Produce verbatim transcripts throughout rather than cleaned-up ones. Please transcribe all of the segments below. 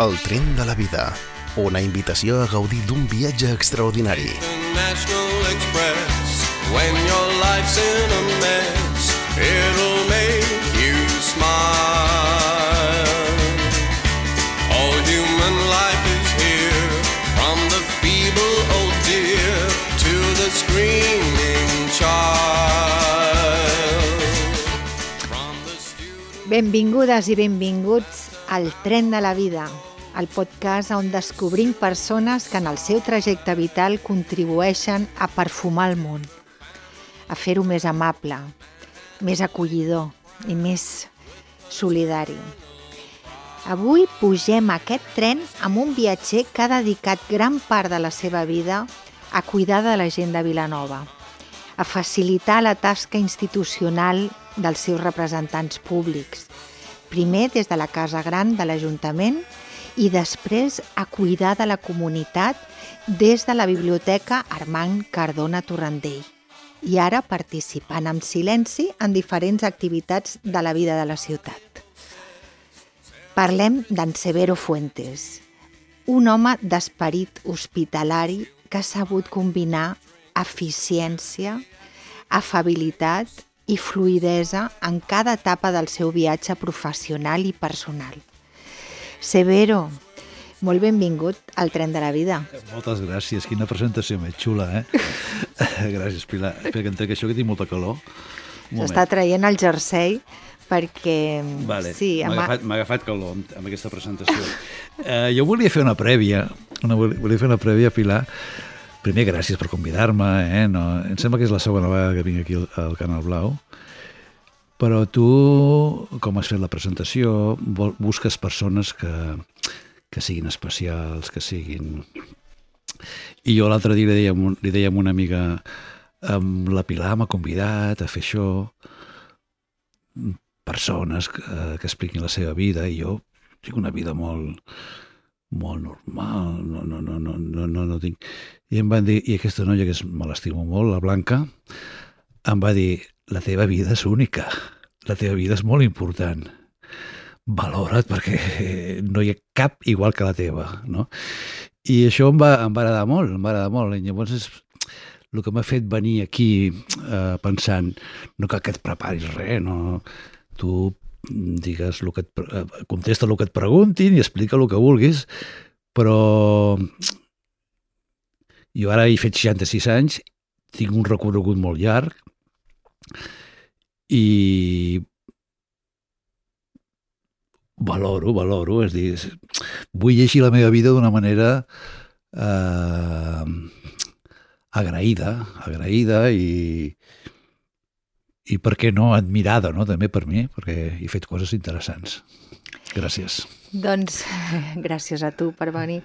El tren de la vida, una invitació a gaudir d'un viatge extraordinari. National Express, when your life's in a mess, it'll make you smile. All human life is here, from the feeble old deer to the screaming child. From the student... Benvingudes i benvinguts al Tren de la Vida, el podcast on descobrim persones que en el seu trajecte vital contribueixen a perfumar el món, a fer-ho més amable, més acollidor i més solidari. Avui pugem a aquest tren amb un viatger que ha dedicat gran part de la seva vida a cuidar de la gent de Vilanova, a facilitar la tasca institucional dels seus representants públics, primer des de la Casa Gran de l'Ajuntament i després a cuidar de la comunitat des de la Biblioteca Armand Cardona Torrendell i ara participant amb silenci en diferents activitats de la vida de la ciutat. Parlem d'en Severo Fuentes, un home d'esperit hospitalari que ha sabut combinar eficiència, afabilitat i fluïdesa en cada etapa del seu viatge professional i personal. Severo, molt benvingut al Tren de la Vida. Moltes gràcies, quina presentació més xula, eh? Gràcies, Pilar. Espera que entenc això, que tinc molta calor. S'està traient el jersei perquè... Vale, sí, m'ha ama... agafat, agafat calor amb, amb aquesta presentació. Uh, jo volia fer una prèvia, una, volia fer una prèvia, Pilar. Primer, gràcies per convidar-me, eh? No, em sembla que és la segona vegada que vinc aquí al, al Canal Blau, però tu, com has fet la presentació, vol, busques persones que, que siguin especials, que siguin... I jo l'altre dia li deia, li deia a una amiga, amb la Pilar m'ha convidat a fer això, persones que, que expliquin la seva vida, i jo tinc una vida molt... molt normal, no, no, no, no, no, no, no tinc... I em van dir, i aquesta noia que me l'estimo molt, la Blanca, em va dir, la teva vida és única, la teva vida és molt important, valora't perquè no hi ha cap igual que la teva, no? I això em va, em va agradar molt, em va agradar molt, i llavors és el que m'ha fet venir aquí eh, pensant, no cal que et preparis res, no? Tu digues el que et, contesta el que et preguntin i explica el que vulguis, però jo ara he fet seixanta-sis anys, tinc un recorregut molt llarg i valoro, valoro, és dir, vull llegir la meva vida d'una manera eh, agraïda, agraïda i i per què no, admirada, no?, també per mi, perquè he fet coses interessants. Gràcies. Doncs gràcies a tu per venir.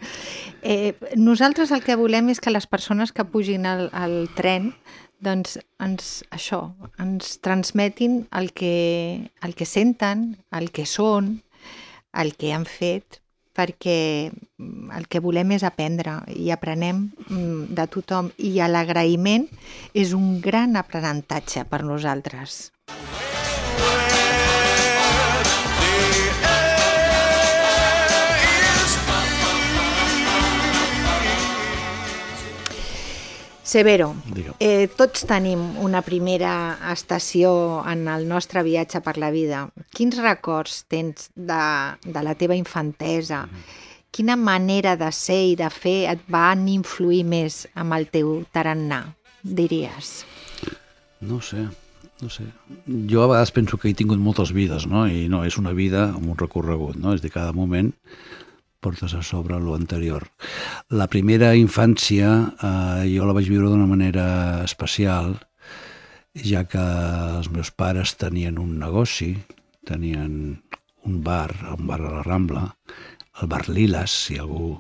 Eh, nosaltres el que volem és que les persones que pugin al, al tren doncs ens, això, ens transmetin el que, el que senten, el que són, el que han fet, perquè el que volem és aprendre i aprenem de tothom i l'agraïment és un gran aprenentatge per nosaltres. Severo, eh, tots tenim una primera estació en el nostre viatge per la vida. Quins records tens de, de la teva infantesa? Quina manera de ser i de fer et van influir més amb el teu tarannà, diries? No sé, no sé. Jo a vegades penso que he tingut moltes vides, no? I no, és una vida amb un recorregut, no? És dir, cada moment portes a sobre lo anterior. La primera infància eh, jo la vaig viure d'una manera especial, ja que els meus pares tenien un negoci, tenien un bar, un bar a la Rambla, el bar Lilas, si algú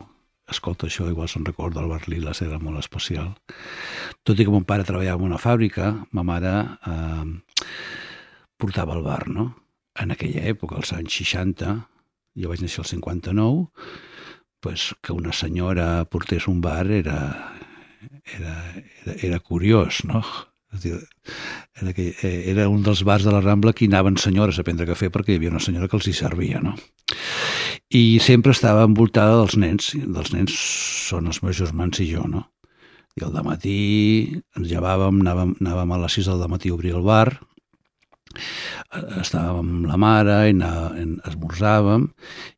escolta això, igual se'n recorda, el bar Lilas era molt especial. Tot i que mon pare treballava en una fàbrica, ma mare eh, portava el bar, no? En aquella època, als anys seixanta, jo vaig néixer al cinquanta-nou, pues, que una senyora portés un bar era, era, era, era curiós, no? Era, que, era un dels bars de la Rambla que hi anaven senyores a prendre cafè perquè hi havia una senyora que els hi servia, no? I sempre estava envoltada dels nens. Dels nens són els meus germans i jo, no? I al dematí ens llevàvem, anàvem, anàvem a les sis del dematí a obrir el bar, estàvem amb la mare i anàvem, esmorzàvem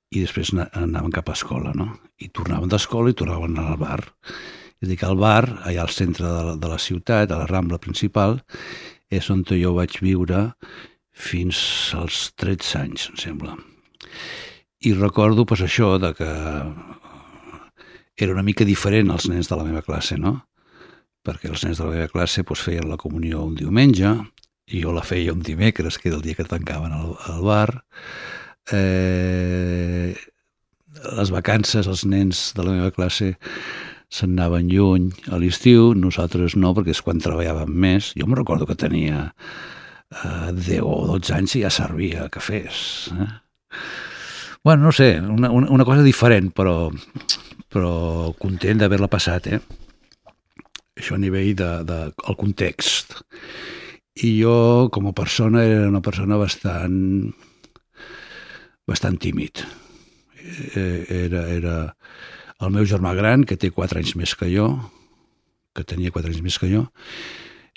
i després anàvem cap a escola, no? I tornàvem d'escola i tornàvem al bar. És a dir, que el bar, allà al centre de la, de la ciutat, a la Rambla principal, és on jo vaig viure fins als tretze anys, em sembla. I recordo pues, això de que era una mica diferent als nens de la meva classe, no? Perquè els nens de la meva classe pues, feien la comunió un diumenge i jo la feia un dimecres, que era el dia que tancaven el, el bar. Eh, les vacances, els nens de la meva classe se'n anaven lluny a l'estiu, nosaltres no, perquè és quan treballàvem més. Jo me'n recordo que tenia eh, deu o dotze anys i ja servia cafès. Eh? Bueno, no sé, una, una, una cosa diferent, però, però content d'haver-la passat, eh? Això a nivell de, de, el context. I jo, com a persona, era una persona bastant bastant tímid. Era, era el meu germà gran, que té quatre anys més que jo, que tenia quatre anys més que jo,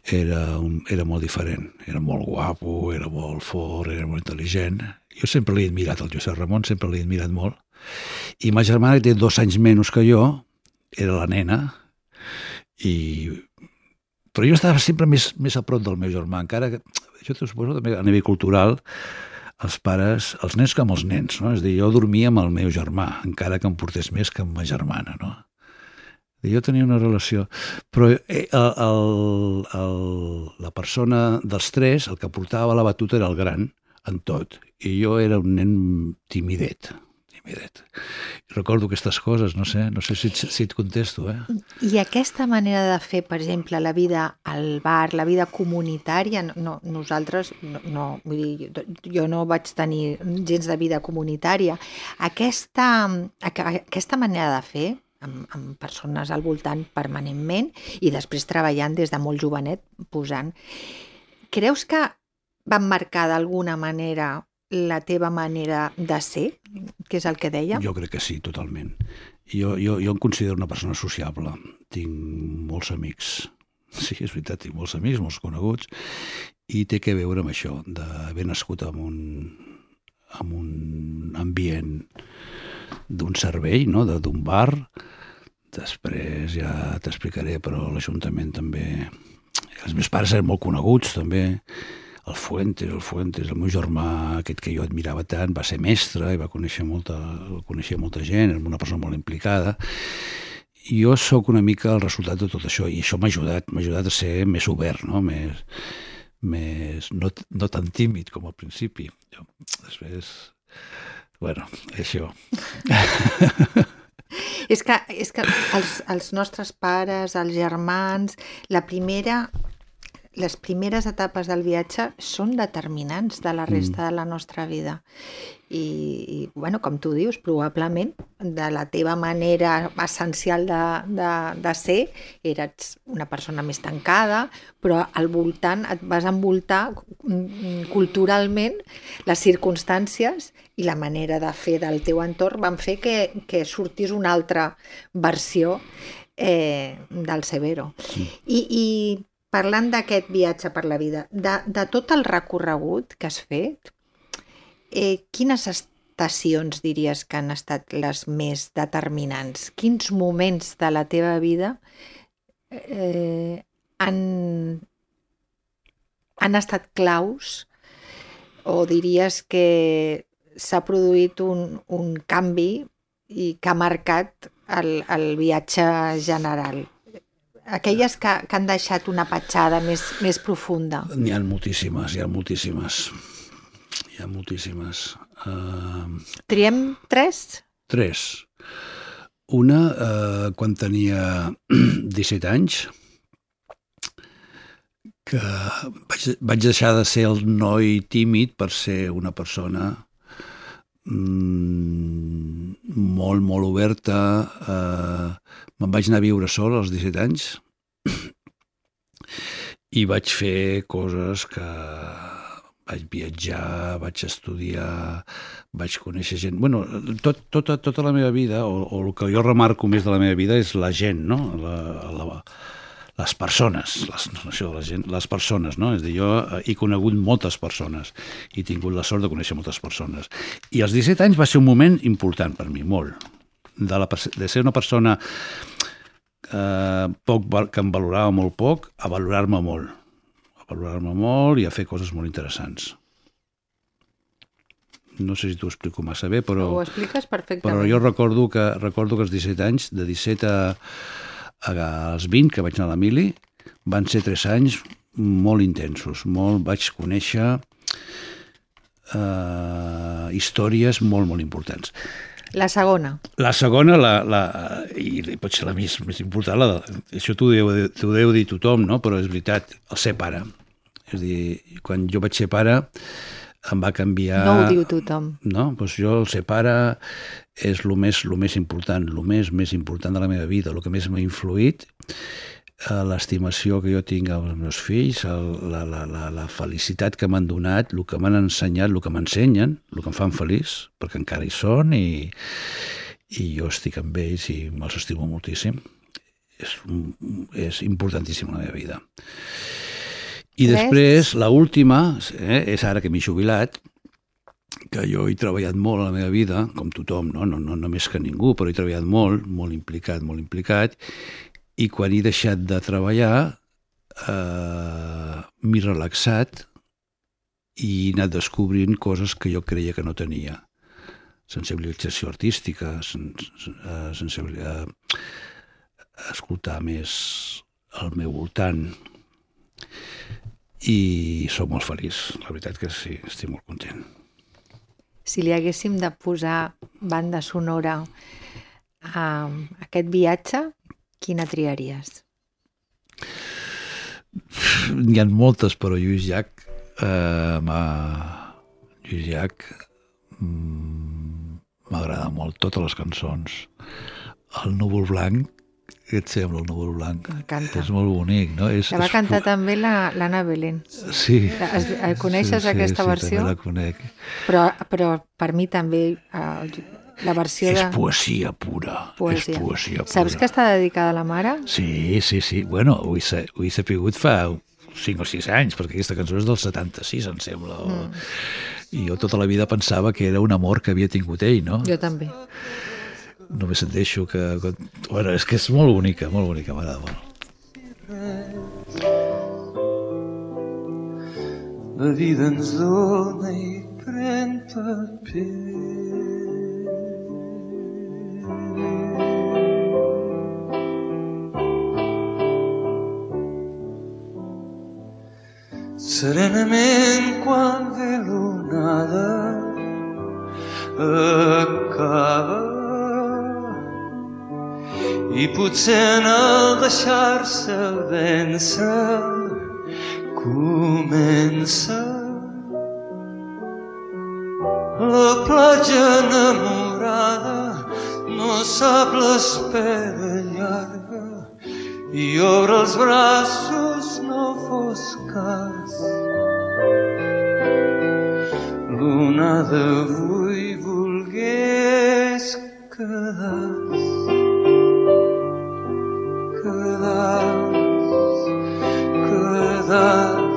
era, un, era molt diferent. Era molt guapo, era molt fort, era molt intel·ligent. Jo sempre l'he admirat, el Josep Ramon, sempre l'he admirat molt. I ma germana, que té dos anys menys que jo, era la nena, i... però jo estava sempre més, més a prop del meu germà, encara que, jo t'ho suposo també a nivell cultural, els pares, els nens com els nens, no? És a dir, jo dormia amb el meu germà, encara que em portés més que amb ma germana, no? Jo tenia una relació, però el, el, el, la persona dels tres, el que portava la batuta era el gran, en tot, i jo era un nen timidet, timidet. Recordo aquestes coses, no sé, no sé si, si et contesto, eh? I aquesta manera de fer, per exemple, la vida al bar, la vida comunitària, no, nosaltres, no, no, vull dir, jo no vaig tenir gens de vida comunitària. Aquesta, aquesta manera de fer, amb, amb persones al voltant permanentment i després treballant des de molt jovenet, posant, creus que van marcar d'alguna manera la teva manera de ser, que és el que deia? Jo crec que sí, totalment. Jo, jo, jo em considero una persona sociable. Tinc molts amics. Sí, és veritat, tinc molts amics, molts coneguts, i té que veure amb això, d'haver nascut en un, en un ambient d'un servei, no? d'un bar. Després ja t'explicaré, però l'Ajuntament també... Els meus pares eren molt coneguts, també. El Fuentes, el Fuentes, el meu germà, aquest que jo admirava tant, va ser mestre i va conèixer molta, conèixer molta gent, era una persona molt implicada. I jo sóc una mica el resultat de tot això, i això m'ha ajudat, m'ha ajudat a ser més obert, no? Més, més, no, no tan tímid com al principi. Jo, després, bueno, això. És que, és que els, els nostres pares, els germans, la primera... les primeres etapes del viatge són determinants de la resta de la nostra vida. I, i bueno, com tu dius, probablement de la teva manera essencial de, de, de ser, eres una persona més tancada, però al voltant et vas envoltar culturalment, les circumstàncies i la manera de fer del teu entorn van fer que, que sortís una altra versió eh, del Severo. Sí. I, i parlant d'aquest viatge per la vida, de, de tot el recorregut que has fet, eh, quines estacions diries que han estat les més determinants? Quins moments de la teva vida eh, han, han estat claus o diries que s'ha produït un, un canvi i que ha marcat el, el viatge general? Aquelles que, que han deixat una petjada més, més profunda. N'hi ha moltíssimes, hi ha moltíssimes. Hi ha moltíssimes. Uh... Triem tres? Tres. Una, uh, quan tenia disset anys, que vaig, vaig deixar de ser el noi tímid per ser una persona mm, molt, molt oberta. Uh, me'n vaig anar a viure sol als disset anys i vaig fer coses que vaig viatjar, vaig estudiar, vaig conèixer gent... Bueno, tot, tota, tota la meva vida, o, o el que jo remarco més de la meva vida és la gent, no? La, la, les persones, les, no, això de la gent, les persones, no? És a dir, jo he conegut moltes persones i he tingut la sort de conèixer moltes persones. I als disset anys va ser un moment important per mi, molt. De, la, de ser una persona eh, poc, que em valorava molt poc a valorar-me molt. A valorar-me molt i a fer coses molt interessants. No sé si t'ho explico massa bé, però... Ho expliques perfectament. Però jo recordo que, recordo que als disset anys, de disset a, a, als vint, que vaig anar a la mili, van ser tres anys molt intensos. Molt, vaig conèixer eh, històries molt, molt importants. La segona. La segona, la, la, i pot ser la més, més important, la, això t'ho deu, t'ho deu dir tothom, no? Però és veritat, el ser pare. És a dir, quan jo vaig ser pare, em va canviar... No ho diu tothom. No? Doncs jo el ser pare és el més, el més important, el més, més important de la meva vida, el que més m'ha influït, l'estimació que jo tinc als meus fills, la, la, la, la felicitat que m'han donat, el que m'han ensenyat, el que m'ensenyen, el que em fan feliç, perquè encara hi són i, i jo estic amb ells i me'ls estimo moltíssim. És, és importantíssim a la meva vida. I Res? Després, l'última, eh, és ara que m'he jubilat, que jo he treballat molt a la meva vida, com tothom, no, no, no, no més que ningú, però he treballat molt, molt implicat, molt implicat, i quan he deixat de treballar eh, m'he relaxat i he anat descobrint coses que jo creia que no tenia. Sensibilització artística, sens, eh, sensibilitat, escoltar més al meu voltant i soc molt feliç. La veritat que sí, estic molt content. Si li haguéssim de posar banda sonora a aquest viatge, quina triaries? N'hi ha moltes, però Lluís Llach eh, m'ha... Lluís Llach m'agrada molt, totes les cançons. El núvol blanc, què et sembla el núvol blanc? M'encanta. És molt bonic, no? És, La va és... cantar també l'Anna Belén. Sí. Es, coneixes sí, aquesta sí, versió? Sí, també la conec. Però, però per mi també eh, la versió és de... És poesia pura. Poesia. És poesia pura. Saps que està dedicada a la mare? Sí, sí, sí. Bueno, ho he, ho he sapigut fa cinc o sis anys, perquè aquesta cançó és del setanta-sis, em sembla. Mm. I jo tota la vida pensava que era un amor que havia tingut ell, no? Jo també. Només et deixo que... Bueno, és que és molt bonica, molt bonica, m'agrada molt. La vida ens dona i pren paper. Serenament quan ve l'onada acaba i potser en el deixar-se vèncer comença la platja enamorada no sap l'espera llarga i obre els braços no fos cas. L'onada avui volgués quedar-se, quedar-se, quedar-se.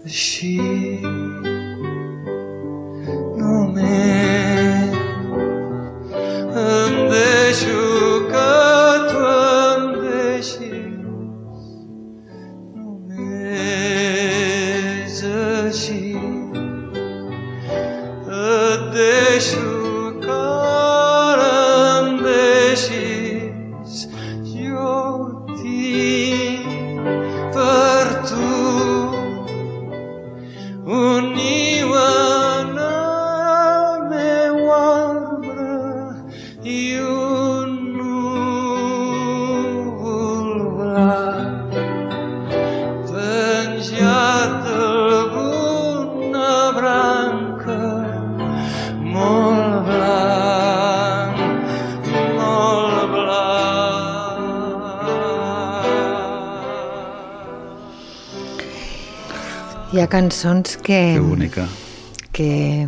Així només em deixo que tu em deixis, només així et deixo Hi ha cançons que... Que bonica. que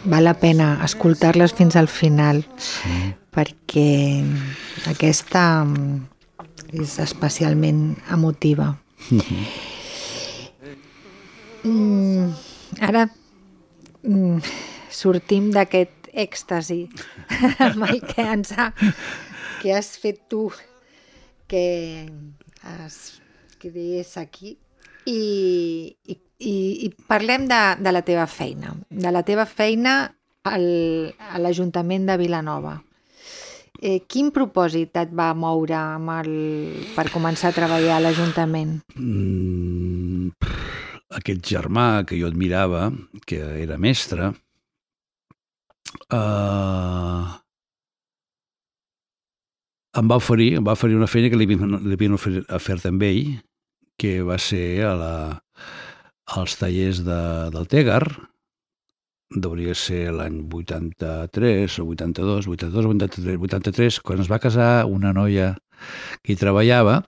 val la pena escoltar-les fins al final, Sí. perquè aquesta és especialment emotiva. Mm, ara mm, sortim d'aquest èxtasi amb el que ens ha, que has fet tu que escrivies aquí i, i, i, i parlem de, de la teva feina, de la teva feina al, a l'Ajuntament de Vilanova. Eh, quin propòsit et va moure amb el, per començar a treballar a l'Ajuntament? Mm, aquest germà que jo admirava, que era mestre, eh, em va oferir, em va oferir una feina que li havien, li havien ofert amb ell, que va ser a la, als tallers de, del Tègar. Hauria ser l'any vuitanta-tres o vuitanta-dos, vuitanta-dos, vuitanta-tres, vuitanta-tres, quan es va casar una noia que hi treballava,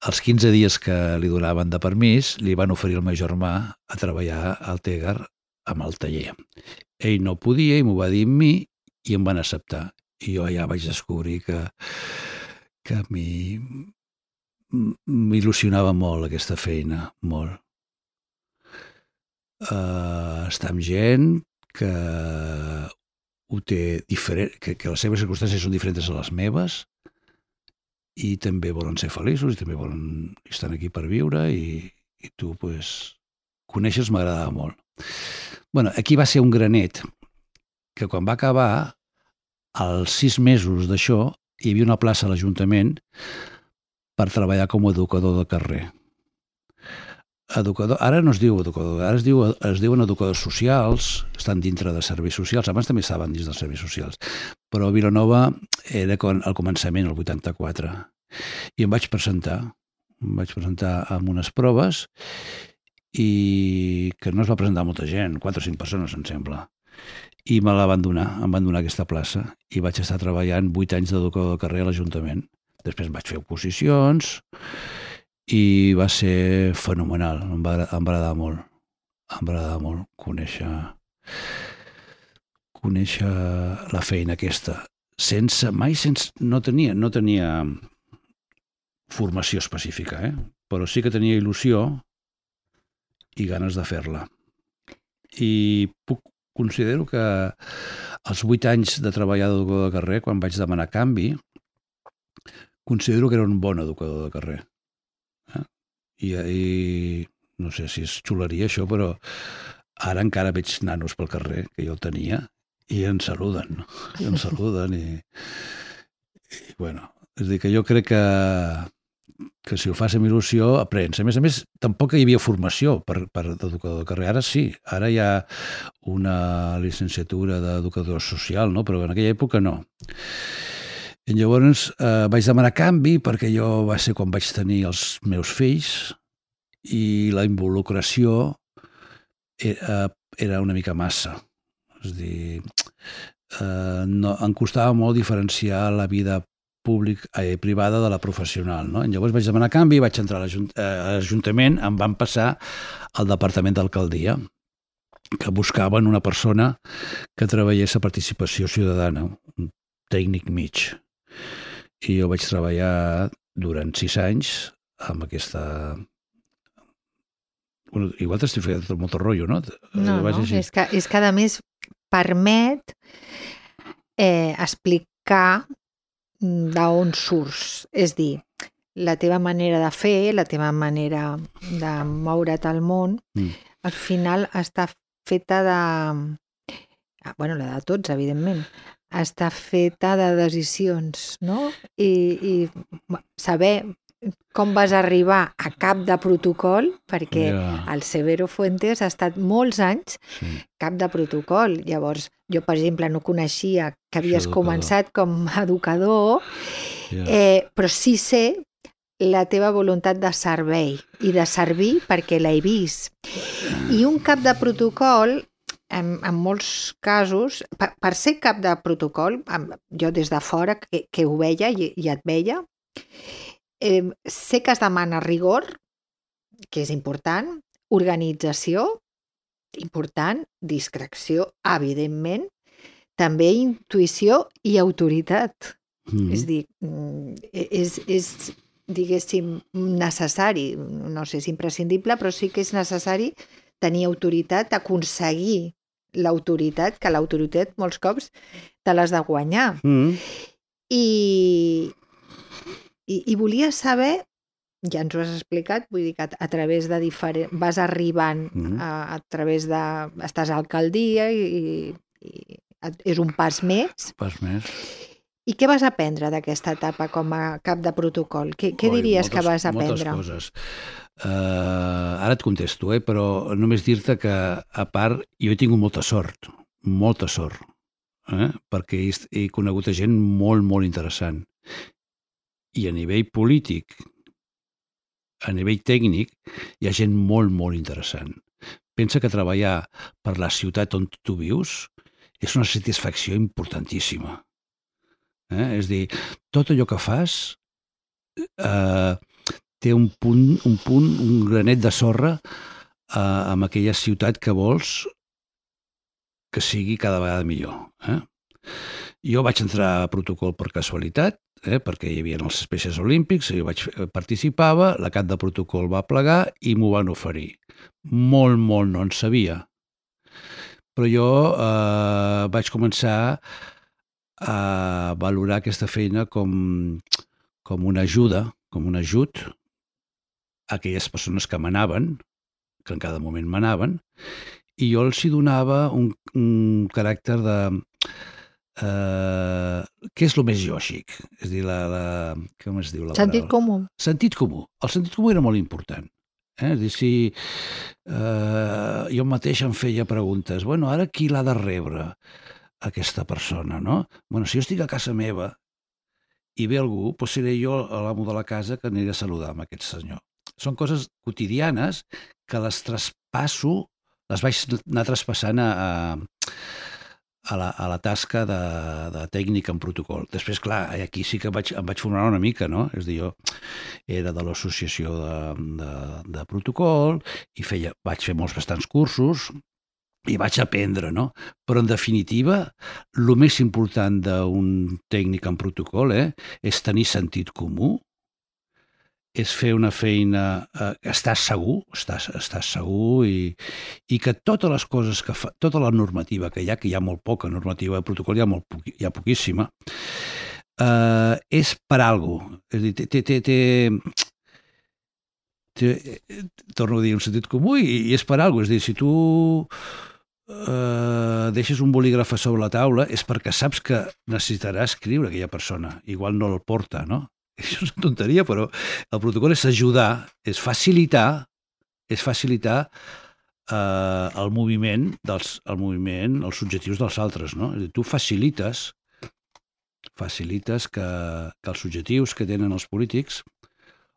els quinze dies que li donaven de permís, li van oferir al meu germà a treballar al Tègar amb el taller. Ell no podia i m'ho va dir a mi i em van acceptar. I jo ja vaig descobrir que, que a mi m'il·lusionava molt aquesta feina, molt. Uh, estar amb gent que ho té diferent, que, que les seves circumstàncies són diferents a les meves i també volen ser feliços i també volen estar aquí per viure i, i tu, pues, conèixer m'agradava molt. Bueno, aquí va ser un granet que quan va acabar, als sis mesos d'això, hi havia una plaça a l'Ajuntament per treballar com a educador de carrer. Educador, ara no es diu educador, ara es, diu, es diuen educadors socials, estan dintre de serveis socials, abans també estaven dins dels serveis socials, però a Vilanova era al començament, el vuitanta-quatre, i em vaig presentar, em vaig presentar amb unes proves i que no es va presentar molta gent, quatre o cinc persones, em sembla, i me la van donar, em van donar aquesta plaça i vaig estar treballant vuit anys d'educador de carrer a l'Ajuntament. Després vaig fer oposicions i va ser fenomenal, em va, em va agradar molt, em va agradar molt conèixer, conèixer la feina aquesta, sense, mai sense, no tenia, no tenia formació específica, eh? Però sí que tenia il·lusió i ganes de fer-la. I puc, considero que als vuit anys de treballar d'educador de carrer, quan vaig demanar canvi, considero que era un bon educador de carrer. I, i no sé si és xuleria això, però ara encara veig nanos pel carrer, que jo el tenia, i ens saluden, i ens saluden, i, i bueno, és a dir, que jo crec que, que si ho fas amb il·lusió, aprens. A més a més, tampoc hi havia formació per, per educador de carrer, ara sí, ara hi ha una llicenciatura d'educador social, no? Però en aquella època no. I llavors eh, vaig demanar canvi perquè jo va ser quan vaig tenir els meus fills i la involucració era, era una mica massa. És a dir, eh, no, em costava molt diferenciar la vida públic, eh, privada de la professional. No? I llavors vaig demanar canvi, vaig entrar a l'Ajuntament, em van passar al Departament d'Alcaldia, que buscaven una persona que treballés a participació ciutadana, un tècnic mig. I jo vaig treballar durant sis anys amb aquesta... Bueno, igual t'estic fent molt de rotllo, no? No, no, és que, és que a més permet eh, explicar d'on surts. És dir, la teva manera de fer, la teva manera de moure't al món, mm. al final està feta de... Bueno, la de tots, evidentment. Està feta de decisions, no? I, i saber com vas arribar a cap de protocol, perquè yeah. el Severo Fuentes ha estat molts anys sí. cap de protocol. Llavors, jo, per exemple, no coneixia que havies començat com a educador, yeah. eh, però sí sé la teva voluntat de servei i de servir perquè l'he vist. I un cap de protocol... En, en molts casos, per, per ser cap de protocol, jo des de fora que, que ho veia i, i et veia, eh, sé que es demana rigor, que és important, organització, important, discreció, evidentment, també intuïció i autoritat. Mm. És dir, és, és, diguéssim, necessari, no sé si imprescindible, però sí que és necessari tenir autoritat, aconseguir l'autoritat, que l'autoritat molts cops te l'has de guanyar. Mm. I, i, i volia saber, ja ens ho has explicat, vull dir que a través de diferents... vas arribant Mm. a, a través de... estàs a alcaldia i, i és un pas més. Pas més. I què vas aprendre d'aquesta etapa com a cap de protocol? Què, què Oi, diries moltes, que vas aprendre? Moltes coses. Uh, ara et contesto, eh? Però només dir-te que, a part, jo he tingut molta sort, molta sort, eh? Perquè he, he conegut a gent molt, molt interessant. I a nivell polític, a nivell tècnic, hi ha gent molt, molt interessant. Pensa que treballar per la ciutat on tu vius és una satisfacció importantíssima. Eh? És dir, tot allò que fas eh, té un punt, un punt, un granet de sorra eh, amb aquella ciutat que vols que sigui cada vegada millor. Eh? Jo vaig entrar a protocol per casualitat, eh, perquè hi havia els Espècies Olímpics, jo vaig, participava, la cap de protocol va plegar i m'ho van oferir. Molt, molt no en sabia. Però jo eh, vaig començar a valorar aquesta feina com, com una ajuda, com un ajut a aquelles persones que manaven, que en cada moment manaven, i jo els hi donava un, un caràcter de... Eh, què és el més lògic? És a dir, la, la, com es diu la Sentit paraula? comú. Sentit comú. El sentit comú era molt important. Eh? És dir, si eh, jo mateix em feia preguntes, bueno, ara qui l'ha de rebre? Aquesta persona, no? Bueno, si jo estic a casa meva i ve algú, doncs seré jo l'amo de la casa que aniré a saludar amb aquest senyor. Són coses quotidianes que les traspasso, les vaig anar traspassant a, a, la, a la tasca de, de tècnic en protocol. Després, clar, aquí sí que vaig, em vaig formar una mica, no? És a dir, jo era de l'associació de, de, de protocol i feia, vaig fer molts bastants cursos, i vaig aprendre, no? Però, en definitiva, el més important d'un tècnic en protocol eh, és tenir sentit comú, és fer una feina, eh, estàs segur, estàs, estàs segur i, i que totes les coses que fa, tota la normativa que hi ha, que hi ha molt poca normativa de protocol, hi ha, molt poqui, hi ha poquíssima, eh, és per alguna cosa. És a dir, té... té, té, té Té, torno a dir, un sentit comú i, i és per alguna cosa. És a dir, si tu eh, deixes un bolígraf a sobre la taula és perquè saps que necessitarà escriure aquella persona. Igual no el porta, no? Això és una tonteria, però el protocol és ajudar, és facilitar, és facilitar eh, el moviment, dels, el moviment, els objectius dels altres, no? És a dir, tu facilites, facilites que, que els objectius que tenen els polítics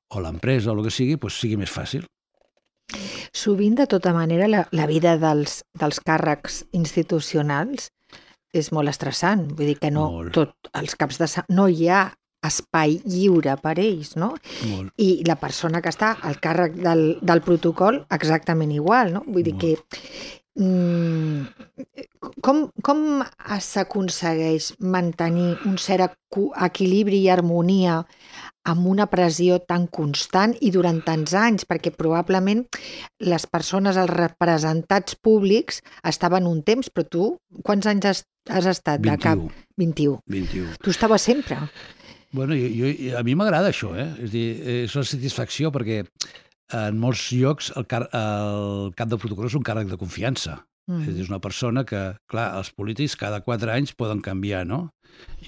o l'empresa o el que sigui, doncs sigui més fàcil. Sovint, de tota manera, la, la vida dels, dels càrrecs institucionals és molt estressant. Vull dir que no, Molt. tot els caps de setmana, no hi ha espai lliure per ells, no? Molt. I la persona que està al càrrec del, del protocol exactament igual, no? Vull dir Molt. que mm, com, com s'aconsegueix mantenir un cert equ- equilibri i harmonia amb una pressió tan constant i durant tants anys, perquè probablement les persones, els representats públics estaven un temps, però tu quants anys has, has estat de cap? vint-i-u. vint-i-u. vint-i-u. Tu estaves sempre. Bueno, jo, jo, a mi m'agrada això, eh? És a dir, és una satisfacció perquè en molts llocs el, car el cap de protocol és un càrrec de confiança. Mm. És a dir, és una persona que, clar, els polítics cada quatre anys poden canviar, no?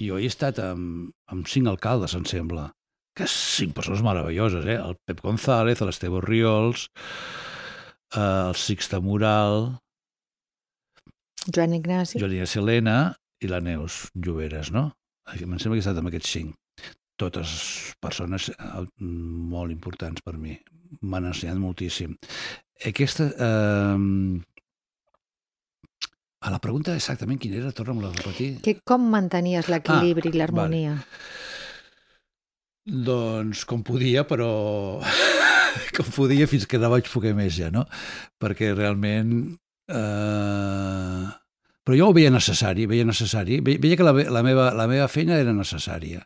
I jo he estat amb, amb cinc alcaldes, em sembla, que cinc persones meravelloses, eh? El Pep González, l'Esteve Riols, eh, el Sixte Moral, Joan Ignasi. Joan Ignasi Helena i la Neus Lloberes, no? Em sembla que he estat amb aquests cinc. Totes persones molt importants per mi. M'han ensenyat moltíssim. Aquesta... Eh, a la pregunta exactament quina era, torna'm-la a repetir. Que com mantenies l'equilibri Ah, i l'harmonia? Doncs com podia, però com podia fins que no vaig poder més ja, no? Perquè realment... Eh... Però jo ho veia necessari, veia necessari, veia que la, la, meva, la meva feina era necessària.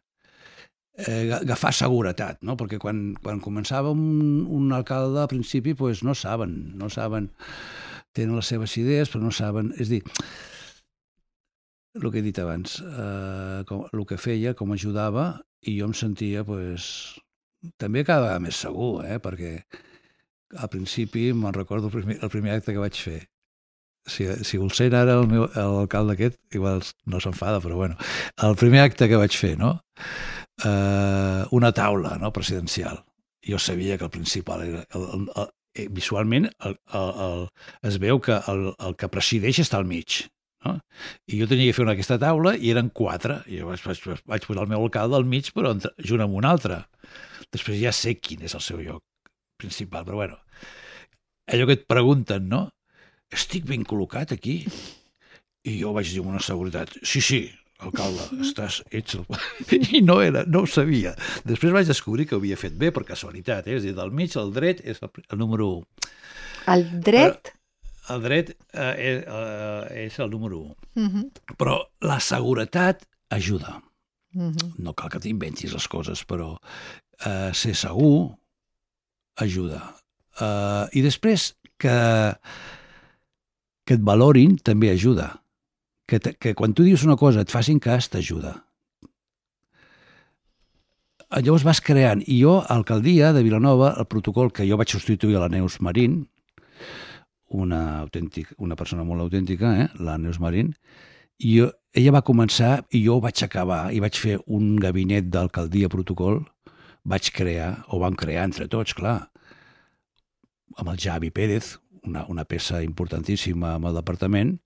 Eh, agafar seguretat, no? Perquè quan, quan començava un, un alcalde al principi pues no saben, no saben, tenen les seves idees però no saben, és dir, el que he dit abans, eh, com, el que feia, com ajudava, i jo em sentia pues, també cada vegada més segur, eh? Perquè al principi me'n recordo el primer, el primer acte que vaig fer. Si, si Olsen ara el meu l'alcalde aquest, igual no s'enfada, però bueno, el primer acte que vaig fer, no? Uh, una taula, no?, presidencial. Jo sabia que el principal era... El, el, el, visualment el, el, el, es veu que el, el que presideix està al mig, no? I jo tenia que fer una, aquesta taula i eren quatre. I jo vaig, vaig, vaig posar el meu alcalde al mig, però entre, junt amb un altre. Després ja sé quin és el seu lloc principal, però bueno, allò que et pregunten, no? Estic ben col·locat aquí? I jo vaig dir amb una seguretat, sí, sí, alcalde, estàs, ets el... I no era, no ho sabia. Després vaig descobrir que ho havia fet bé per casualitat, eh? És a dir, del mig al dret és el, el número u. El dret? Però el dret eh, és, eh, és el número u. Uh -huh. Però la seguretat ajuda. Uh -huh. No cal que t'inventis les coses, però eh, ser segur ajuda. Eh, I després que que et valorin també ajuda. Que, te, que quan tu dius una cosa et facin cas, t'ajuda. Llavors vas creant. I jo, a l'alcaldia de Vilanova, el protocol que jo vaig substituir a la Neus Marín, una, autèntic, una persona molt autèntica, eh? La Neus Marín, i jo, ella va començar i jo vaig acabar i vaig fer un gabinet d'alcaldia protocol, vaig crear, o vam crear entre tots, clar, amb el Javi Pérez, Una, una peça importantíssima amb el departament,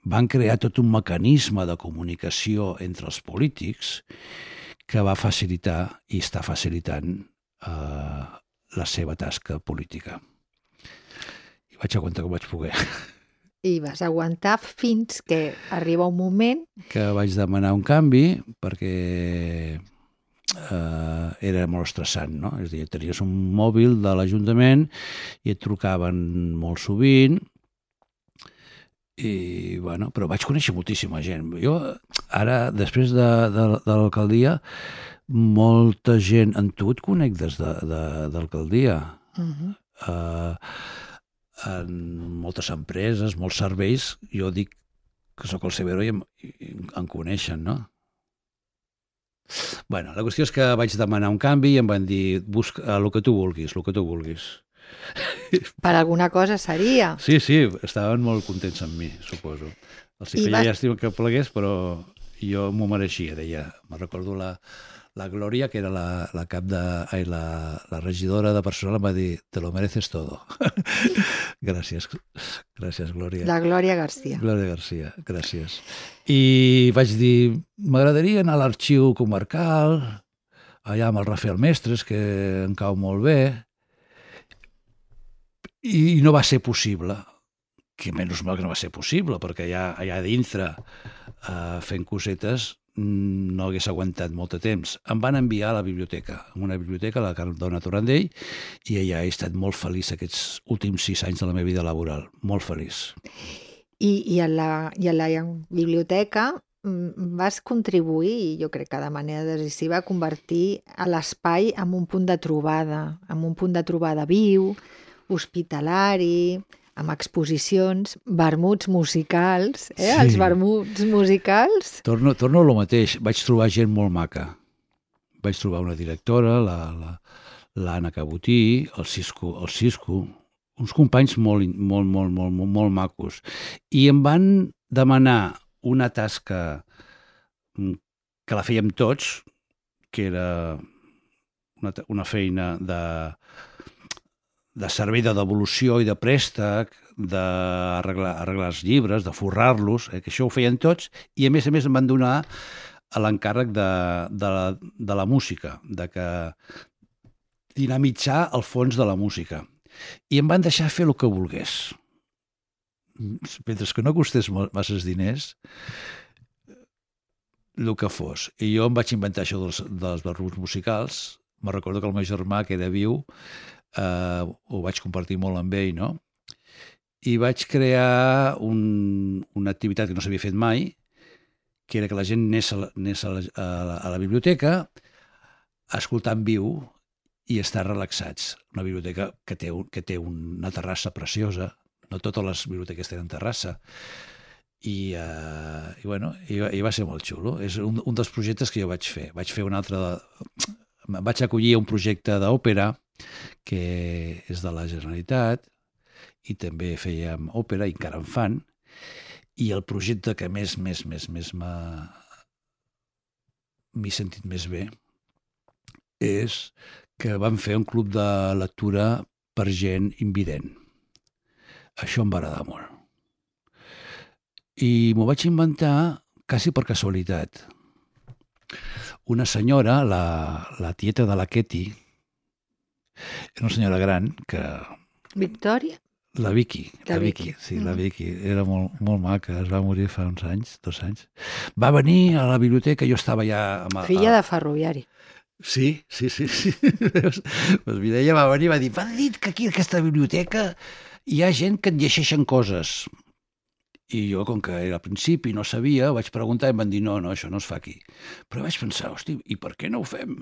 van crear tot un mecanisme de comunicació entre els polítics que va facilitar i està facilitant eh, la seva tasca política. I vaig aguantar com vaig poder. I vas aguantar fins que arriba un moment... Que vaig demanar un canvi perquè... Uh, era molt estressant, no? És a dir, tenies un mòbil de l'Ajuntament i et trucaven molt sovint i, bueno, però vaig conèixer moltíssima gent. Jo, ara, després de, de, de l'alcaldia, molta gent, en tu et conec des de, de, d'alcaldia. Uh-huh. uh, en moltes empreses, molts serveis, jo dic que sóc el Severo i em, i em coneixen, no? Bueno, la qüestió és que vaig demanar un canvi i em van dir, busca el que tu vulguis, el que tu vulguis. Per alguna cosa seria. Sí, sí, estaven molt contents amb mi, suposo. Els hi feia llàstima que plegués, però jo m'ho mereixia, deia. Me recordo la, la Glòria, que era la, la cap de... Ai, la, la regidora de personal, em va dir, te lo mereces todo. Gràcies, gràcies, Glòria. La Glòria Garcia. Glòria Garcia, gràcies. I vaig dir, m'agradaria anar a l'arxiu comarcal, allà amb el Rafael Mestres, que em cau molt bé, i no va ser possible. Que menys mal que no va ser possible, perquè allà, allà dintre, uh, fent cosetes, no hagués aguantat molt de temps. Em van enviar a la biblioteca, a una biblioteca, la Cardona Torrandell, i allà he estat molt feliç aquests últims sis anys de la meva vida laboral, molt feliç. I, i, a la, I a la biblioteca vas contribuir, jo crec que de manera decisiva, a convertir a l'espai en un punt de trobada, en un punt de trobada viu, hospitalari, amb exposicions, vermuts musicals, eh? Sí. Els vermuts musicals. Torno, torno a lo mateix. Vaig trobar gent molt maca. Vaig trobar una directora, la, la, l'Anna Cabotí, el Cisco, el Cisco, uns companys molt, molt, molt, molt, molt, molt macos. I em van demanar una tasca que la fèiem tots, que era una, una feina de... de servei de devolució i de préstec, d'arreglar arreglar els llibres, de forrar-los, eh, que això ho feien tots, i a més a més em van donar l'encàrrec de, de, la, de la música, de que dinamitzar el fons de la música. I em van deixar fer el que volgués. Mentre que no costés masses diners, el que fos. I jo em vaig inventar això dels, dels vermuts musicals. Me recordo que el meu germà, que era viu, eh, ho vaig compartir molt amb ell, no? I vaig crear un, una activitat que no s'havia fet mai, que era que la gent anés a la, anés a la, a la, a la biblioteca a escoltar en viu i estar relaxats. Una biblioteca que té, un, que té una terrassa preciosa, no totes les biblioteques tenen terrassa, i, uh, i, bueno, i, i va ser molt xulo. És un, un dels projectes que jo vaig fer. Vaig fer un altre... De, vaig acollir un projecte d'òpera que és de la Generalitat i també fèiem òpera, i encara en fan, i el projecte que més, més, més, més m'ha m'he sentit més bé és que vam fer un club de lectura per gent invident. Això em va agradar molt. I m'ho vaig inventar quasi per casualitat. Una senyora, la, la tieta de la Ketty, era una senyora gran que... Victòria? La Vicky, la, la Vicky. Vicky, sí, mm. la Vicky, era molt, molt maca, es va morir fa uns anys, dos anys. Va venir a la biblioteca, jo estava ja... Amb, Filla a... de ferroviari. Sí, sí, sí, sí. Pues Mireia va venir i va dir, va dir que aquí, a aquesta biblioteca, hi ha gent que et llegeixen coses. I jo, com que era al principi, no sabia, vaig preguntar i em van dir, no, no, això no es fa aquí. Però vaig pensar, hosti, i per què no ho fem?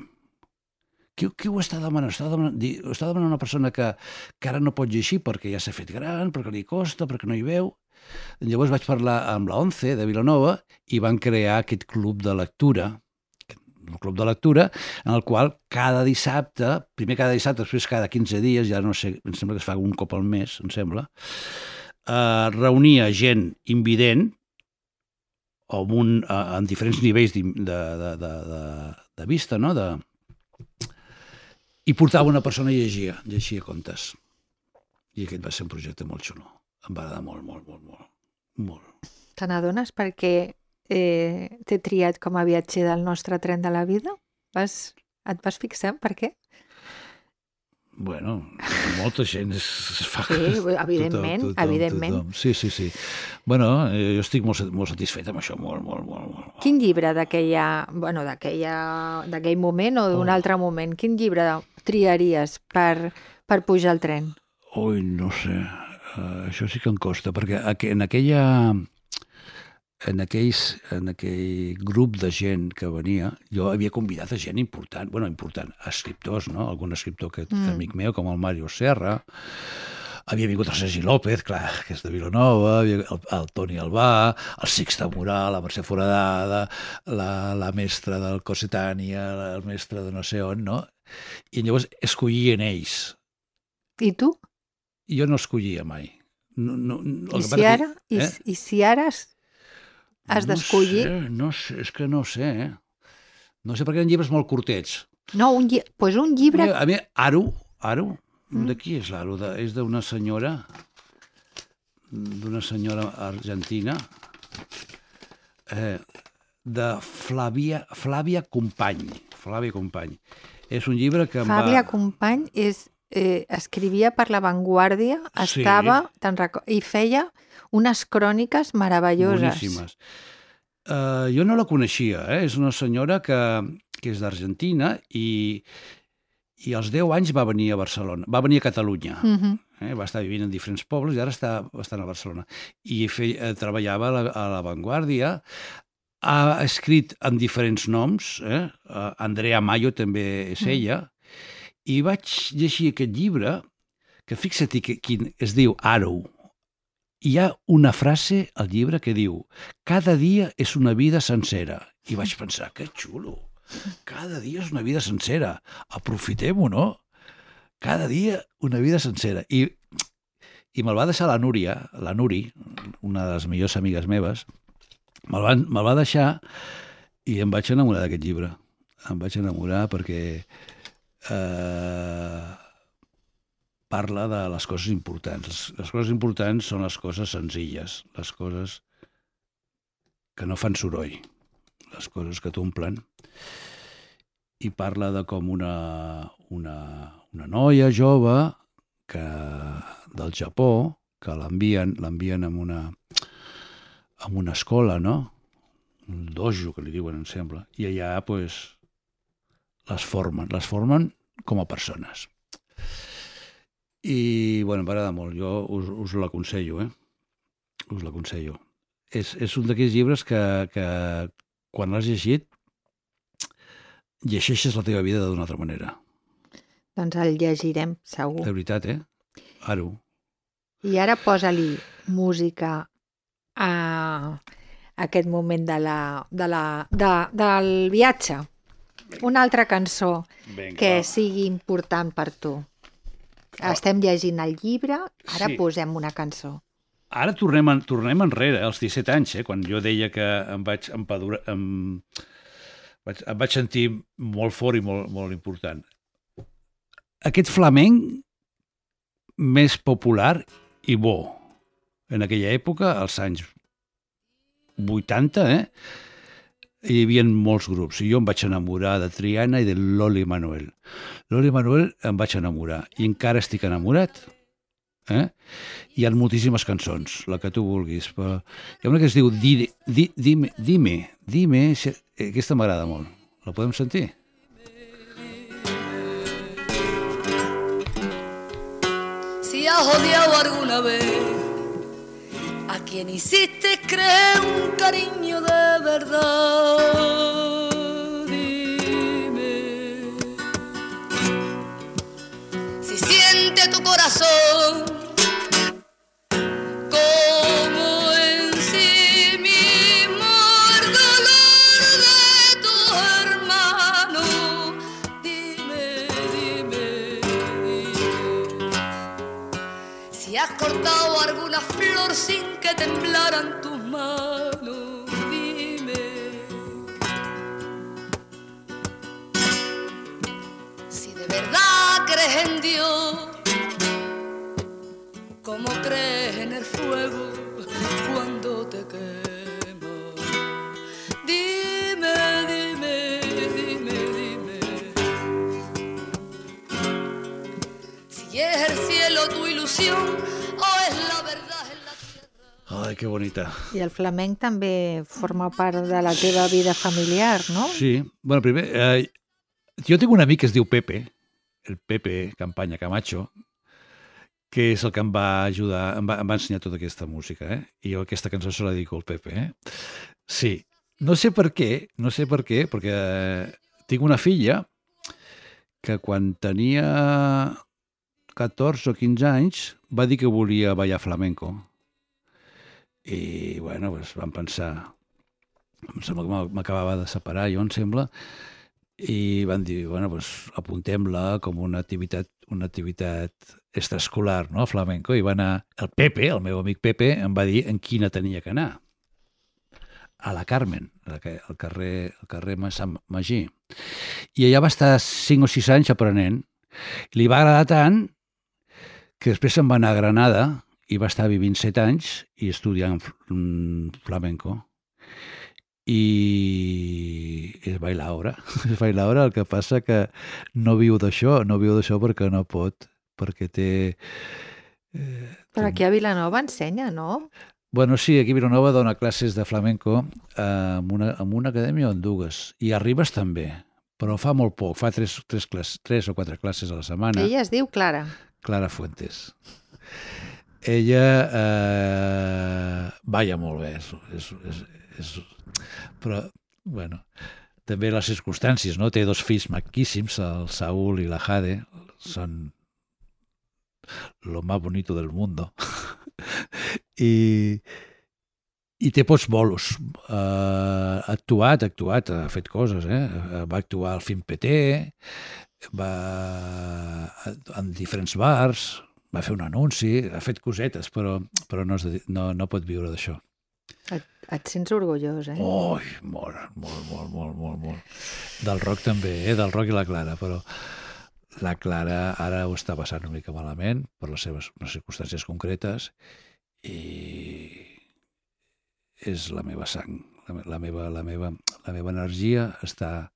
Qui, qui ho està demanant? Ho està demanant, ho està demanant una persona que, que ara no pot llegir perquè ja s'ha fet gran, perquè li costa, perquè no hi veu. Llavors vaig parlar amb la ONCE de Vilanova i van crear aquest club de lectura, un club de lectura, en el qual cada dissabte, primer cada dissabte, després cada quinze dies, ja no sé, em sembla que es fa un cop al mes, em sembla, eh, reunia gent invident, o amb, un, eh, en diferents nivells de, de, de, de, de vista, no?, de... i portava una persona i llegia, llegia contes. I aquest va ser un projecte molt xulo. Em va agradar molt, molt, molt, molt. molt. Te n'adones perquè eh, t'he triat com a viatger del nostre tren de la vida? Vas, et vas fixar per què? Bueno, molta gent es, es fa... Sí, evidentment, tothom, tothom, evidentment. Tothom. Sí, sí, sí. Bueno, eh, jo estic molt, molt satisfet amb això, molt, molt, molt, molt. Quin llibre d'aquella, bueno, d'aquella, d'aquell moment o d'un oh. altre moment, quin llibre triaries per, per pujar al tren? Ui, no sé, uh, això sí que em costa, perquè en aquella... En, aquells, en aquell grup de gent que venia, jo havia convidat a gent important, bueno, important, escriptors, no? Algun escriptor que, mm. amic meu, com el Mario Serra, havia vingut el Sergi López, clar, que és de Vilanova, el, el Toni Albà, el Sixte Moral, la Mercè Foradada, la, la mestra del Cossetània, el mestre de no sé on, no? I llavors escollien ells. I tu? Jo no escollia mai. No, no, I, si ara, que, eh? i, I si ara... Has d'escollir? No sé, no sé, és que no sé, eh? No sé, perquè eren llibres molt curtets. No, un, lli... pues un llibre... A mi, Aro, Aro, mm. de qui és l'Aro? De, és d'una senyora, d'una senyora argentina, eh, de Flàvia, Flàvia Company. Flàvia Company. És un llibre que em va... Flàvia Company és, eh, escrivia per La Vanguardia, estava, sí. te'n record... i feia... unes cròniques meravelloses. Boníssimes. Uh, jo no la coneixia, eh? És una senyora que, que és d'Argentina i, i als deu anys va venir a Barcelona, va venir a Catalunya. Uh-huh. eh? Va estar vivint en diferents pobles i ara està bastant a Barcelona. I fe, eh, treballava a la, a la Vanguardia, ha escrit amb diferents noms, eh? uh, Andrea Mayo també és uh-huh. ella, i vaig llegir aquest llibre, que fixa't que quin es diu Arrow. Hi ha una frase al llibre que diu «Cada dia és una vida sencera». I vaig pensar, que xulo, cada dia és una vida sencera, aprofitem-ho, no? Cada dia una vida sencera. I, i me'l va deixar la Núria, la Nuri, una de les millors amigues meves, me'l va, me va deixar i em vaig enamorar d'aquest llibre. Em vaig enamorar perquè... Eh, parla de les coses importants. Les, les coses importants són les coses senzilles, les coses que no fan soroll, les coses que t'omplen. I parla de com una, una, una noia jove que, del Japó, que l'envien l'envien en una, en una escola, no? Un dojo, que li diuen, em sembla. I allà, pues, les formen, les formen com a persones. I, bueno, m'agrada molt. Jo us, us l'aconsello, eh? Us l'aconsello. És, és un d'aquells llibres que, que quan l'has llegit llegeixes la teva vida d'una altra manera. Doncs el llegirem, segur. De veritat, eh? Ara. I ara posa-li música a aquest moment de la, de la, de, del viatge. Una altra cançó Vinga, que va. sigui important per tu. Estem llegint el llibre, ara Sí. posem una cançó. Ara tornem, en, tornem enrere, als disset anys, eh? Quan jo deia que em vaig empadurar, em, vaig, em vaig sentir molt fort i molt, molt important. Aquest flamenc més popular i bo en aquella època, als anys vuitanta, eh? Hi havia molts grups, i jo em vaig enamorar de Triana i de Loli Manuel. Loli Manuel em vaig enamorar, i encara estic enamorat. Eh? Hi ha moltíssimes cançons, la que tu vulguis, però hi ha una que es diu Di, di, Dime, Dime, Dime, aquesta m'agrada molt. La podem sentir? Si has odiado alguna vez a quien hiciste creer un cariño de verdad, dime si siente tu corazón como en sí mismo el dolor de tu hermano. Dime, dime, dime si has cortado alguna flor sin que temblaran tus manos. Dime si de verdad crees en Dios, como crees en el fuego cuando te quema. Dime, dime, dime, dime si es el cielo tu ilusión o es la verdad en la tierra. Ai, que bonita. I el flamenc també forma part de la teva vida familiar, no? Sí. Bueno, primer, eh, jo tinc un amic que es diu Pepe, el Pepe Campaña Camacho, que és el que em va ajudar, em va, em va ensenyar tota aquesta música, eh? I jo aquesta cançó se la dedico al Pepe, eh? Sí. No sé per què, no sé per què, perquè eh, tinc una filla que quan tenia catorze o quinze anys va dir que volia ballar flamenco. I, bueno, doncs vam pensar... Em sembla que m'acabava de separar, jo, em sembla, i van dir, bueno, doncs apuntem-la com una activitat, una activitat extraescolar, no?, flamenco, i va anar... El Pepe, el meu amic Pepe, em va dir en quina tenia que anar. A la Carmen, al carrer, al carrer Sant Magí. I allà va estar cinc o sis anys aprenent. Li va agradar tant que després se'n va anar a Granada i va estar vivint set anys i estudiant flamenco. I és bailaora, és bailaora, el que passa que no viu d'això, no viu d'això perquè no pot, perquè té... Eh, Però aquí a Vilanova ensenya, no? Bueno, sí, aquí a Vilanova dona classes de flamenco eh, en, una, en una acadèmia o en dues, i a Ribes també, però fa molt poc, fa tres, tres, classes, tres o quatre classes a la setmana. Ella es diu Clara. Clara Fuentes. Ella eh, balla molt bé, és, és, és, és, però, bueno, també les circumstàncies, no? Té dos fills maquíssims, el Saúl i la Jade, són lo más bonito del mundo. I, i té pocs bolos. Uh, ha actuat, ha actuat, ha fet coses, eh? Va actuar al Film P T, va en diferents bars, va fer un anunci, ha fet cosetes, però, però no, es, no, no pot viure d'això. Et, et sents orgullós, eh? Ui, molt, molt, molt, molt, molt, molt. Del rock també, eh? Del rock i la Clara, però la Clara ara ho està passant una mica malament per les seves les circumstàncies concretes i és la meva sang, la, la, meva, la, meva, la meva energia està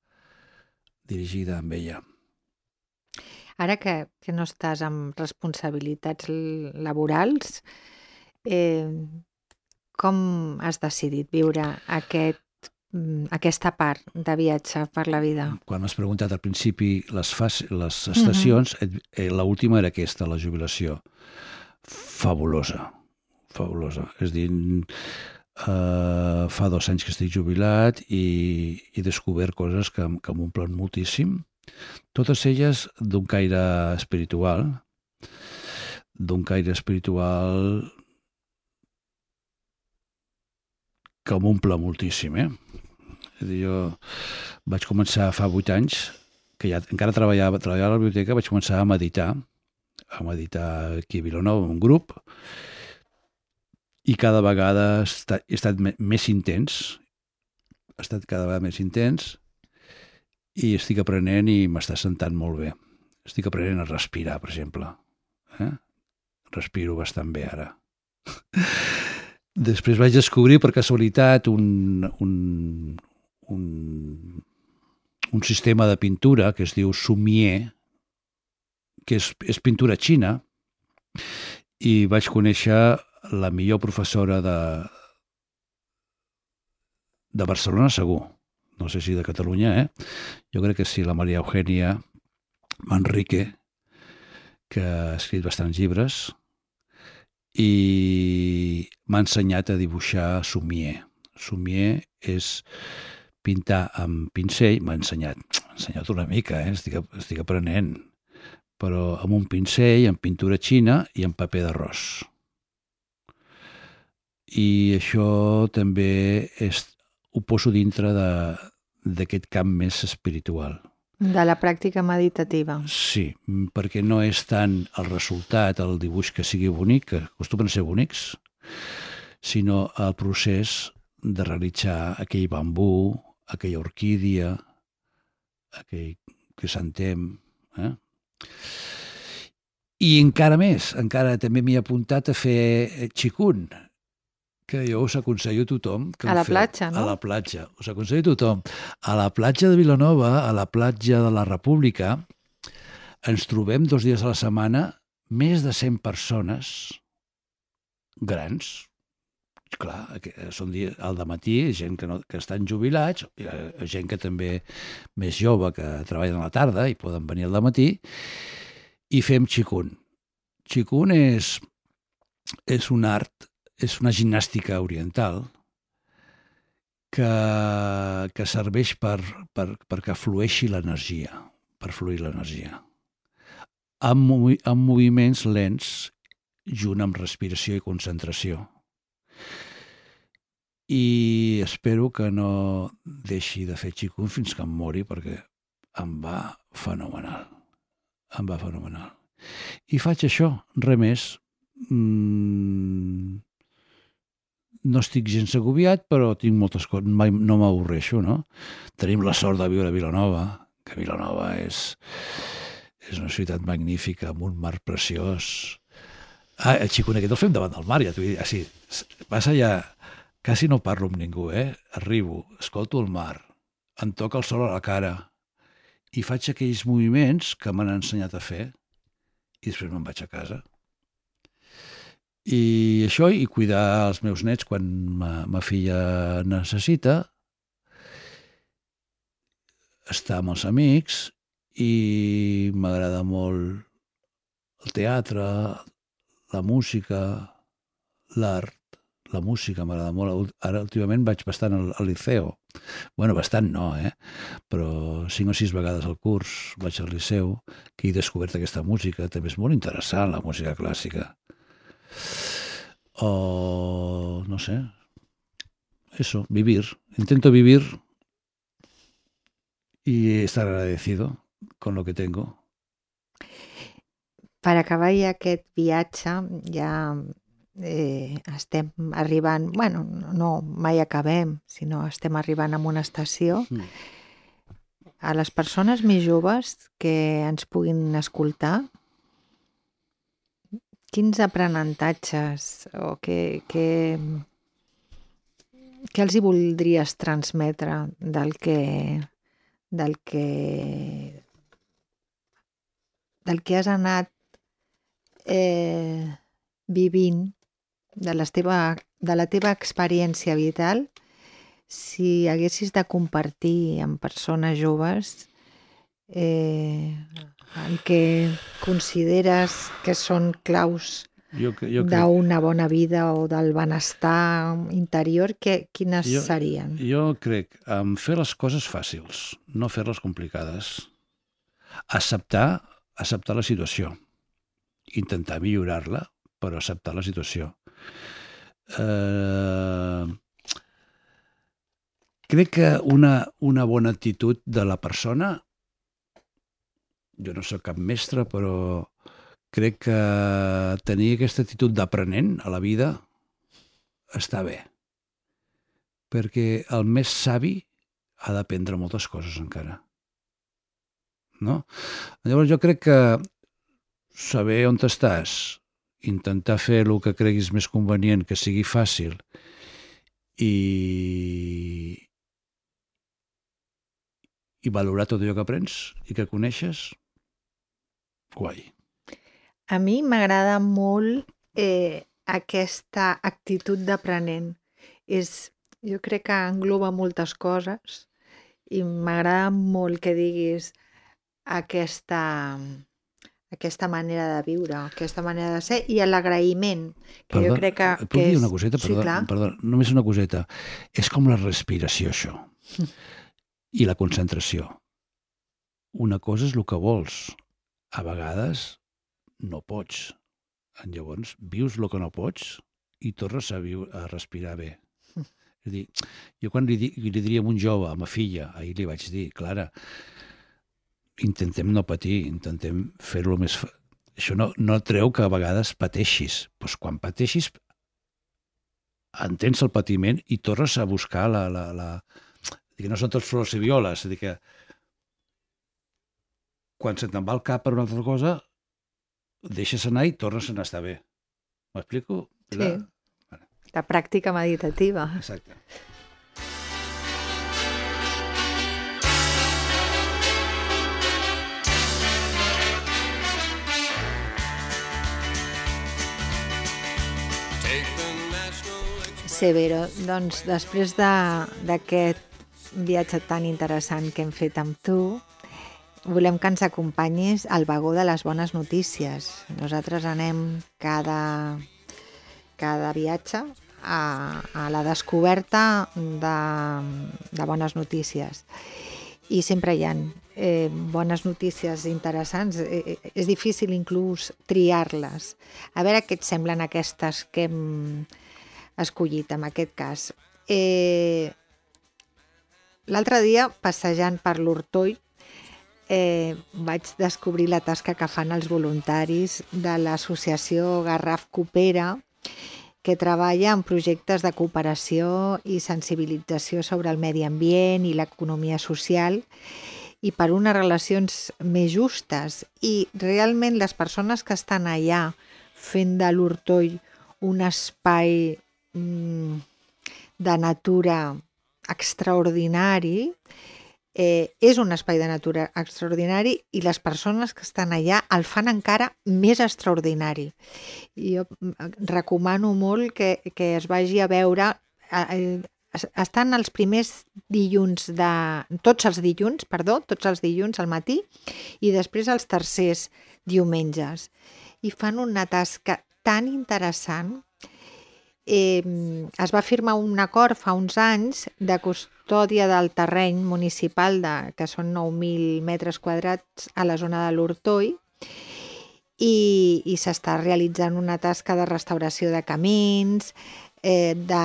dirigida amb ella. Ara que, que no estàs amb responsabilitats laborals, eh, com has decidit viure aquest aquesta part de viatge per la vida? Quan m'has preguntat al principi les, fas, les estacions, uh-huh. eh, l'última era aquesta, la jubilació. Fabulosa, fabulosa. És a dir, eh, fa dos anys que estic jubilat i he descobert coses que, que m'omplen moltíssim. Totes elles d'un caire espiritual, d'un caire espiritual que m'omple moltíssim, eh? És a dir, jo vaig començar fa vuit anys, que ja encara treballava, treballava a la biblioteca, vaig començar a meditar, a meditar aquí a Vilanova, en un grup, i cada vegada he estat, he estat més intens, he estat cada vegada més intens, i estic aprenent i m'està sentant molt bé. Estic aprenent a respirar, per exemple. Eh? Respiro bastant bé ara. Després vaig descobrir per casualitat un, un, un, un sistema de pintura que es diu Sumier, que és, és pintura xina, i vaig conèixer la millor professora de, de Barcelona, segur. No sé si de Catalunya, eh? Jo crec que sí, la Maria Eugènia Manrique, que ha escrit bastants llibres, i m'ha ensenyat a dibuixar Sumier. Sumier és pintar amb pincell, m'ha ensenyat, m'ha ensenyat una mica, eh? estic, estic aprenent, però amb un pincell, amb pintura xina i amb paper d'arròs. I això també és, ho poso dintre d'aquest camp més espiritual. De la pràctica meditativa. Sí, perquè no és tant el resultat, el dibuix que sigui bonic, que acostumen a ser bonics, sinó el procés de realitzar aquell bambú, aquella orquídia, aquell crisantem. Eh? I encara més, encara també m'he apuntat a fer Qigong, que jo us aconsello a tothom. Que a la feu. platja, no? A la platja. Us aconsello a tothom. A la platja de Vilanova, a la platja de la República, ens trobem dos dies a la setmana més de cent persones grans. Clar, són dies, al dematí, gent que, no, que estan jubilats, gent que també més jove que treballen a la tarda i poden venir al dematí, i fem Qigong. Qigong és, és un art, és una gimnàstica oriental que, que serveix per, per, perquè flueixi l'energia, per fluir l'energia. Amb, movi, amb moviments lents, junt amb respiració i concentració. I espero que no deixi de fer Qigong fins que em mori, perquè em va fenomenal. Em va fenomenal. I faig això, res més. Mm, no estic gens agobiat, però tinc moltes coses, mai, no m'avorreixo, no? Tenim la sort de viure a Vilanova, que Vilanova és, és una ciutat magnífica, amb un mar preciós. Ah, el Qigong aquest el fem davant del mar, ja t'ho he dit. Així, passa ja, quasi no parlo amb ningú, eh? Arribo, escolto el mar, em toca el sol a la cara i faig aquells moviments que m'han ensenyat a fer i després me'n vaig a casa. I això, i cuidar els meus nets quan ma, ma filla necessita, estar amb els amics, i m'agrada molt el teatre, la música, l'art, la música m'agrada molt. Ara últimament vaig bastant al, al Liceu. Bueno, bastant no, eh? Però cinc o sis vegades al curs vaig al Liceu, que he descobert aquesta música. També és molt interessant, la música clàssica. O, no sé, eso, vivir. Intento vivir y estar agradecido con lo que tengo. Per acabar ja aquest viatge, ja eh, estem arribant, bueno, no mai acabem, sinó estem arribant a una estació. Mm. A les persones més joves que ens puguin escoltar, quins aprenentatges o què, què, què els hi voldries transmetre del que, del que, del que has anat eh, vivint, de, les teva, de la teva experiència vital, si haguessis de compartir amb persones joves eh, el que consideres que són claus Jo, jo crec, d'una bona vida o del benestar interior, que, quines Jo- serien? jo crec en fer les coses fàcils, no fer-les complicades. Acceptar, acceptar la situació. Intentar millorar-la, però acceptar la situació. Eh, crec que una, una bona actitud de la persona, jo no soc cap mestre, però crec que tenir aquesta actitud d'aprenent a la vida està bé. Perquè el més savi ha d'aprendre moltes coses encara. No? Llavors jo crec que saber on estàs, intentar fer el que creguis més convenient, que sigui fàcil, i, i valorar tot allò que aprens i que coneixes, guai. A mi m'agrada molt eh, aquesta actitud d'aprenent. És, jo crec que engloba moltes coses i m'agrada molt que diguis aquesta, aquesta manera de viure, aquesta manera de ser i l'agraïment, que jo crec que, puc que dir és... una coseta? Sí, Perdó, clar. perdó, només una coseta. És com la respiració, això. I la concentració. Una cosa és el que vols. A vegades no pots. Llavors, vius el que no pots i tornes a, viu, a respirar bé. És a dir, jo quan li, di- li diria a un jove, a ma filla, ahir li vaig dir, Clara, intentem no patir, intentem fer-lo més... Fa... Això no, no treu que a vegades pateixis. Doncs quan pateixis, entens el patiment i tornes a buscar la... la, la... Dic, no són tots flors i violes, és a dir que quan se te'n va el cap per una altra cosa, deixes anar i tornes a estar bé. M'explico? Sí. La pràctica meditativa. Exacte. Take the National Express. Severo, doncs després de- d'aquest viatge tan interessant que hem fet amb tu, volem que ens acompanyis al vagó de les bones notícies. Nosaltres anem cada, cada viatge a, a la descoberta de, de bones notícies. I sempre hi ha eh, bones notícies interessants. Eh, eh, és difícil inclús triar-les. A veure què et semblen aquestes que hem escollit en aquest cas. Eh, L'altre dia, passejant per l'Hortoll, eh, vaig descobrir la tasca que fan els voluntaris de l'associació Garraf Coopera, que treballa en projectes de cooperació i sensibilització sobre el medi ambient i l'economia social i per unes relacions més justes. I realment les persones que estan allà fent de l'Hortoll un espai mm, de natura extraordinari, eh, és un espai de natura extraordinari i les persones que estan allà el fan encara més extraordinari. I jo recomano molt que, que es vagi a veure. Eh, estan els primers dilluns de... Tots els dilluns, perdó, tots els dilluns al matí i després els tercers diumenges. I fan una tasca tan interessant. Eh, es va firmar un acord fa uns anys de custòdia del terreny municipal, de, que són nou mil metres quadrats a la zona de l'Hortoll, i, i s'està realitzant una tasca de restauració de camins, eh, de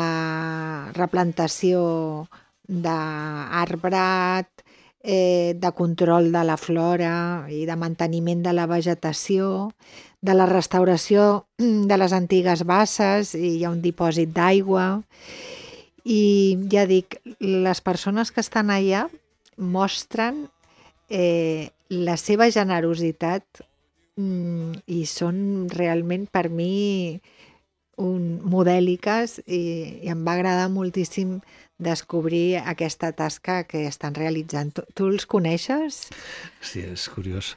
replantació d'arbrat, eh, de control de la flora i de manteniment de la vegetació, de la restauració de les antigues basses, i hi ha un dipòsit d'aigua. I ja dic, les persones que estan allà mostren eh, la seva generositat mm, i són realment per mi un, modèliques i, i em va agradar moltíssim descobrir aquesta tasca que estan realitzant. Tu, tu els coneixes? Sí, és curiós.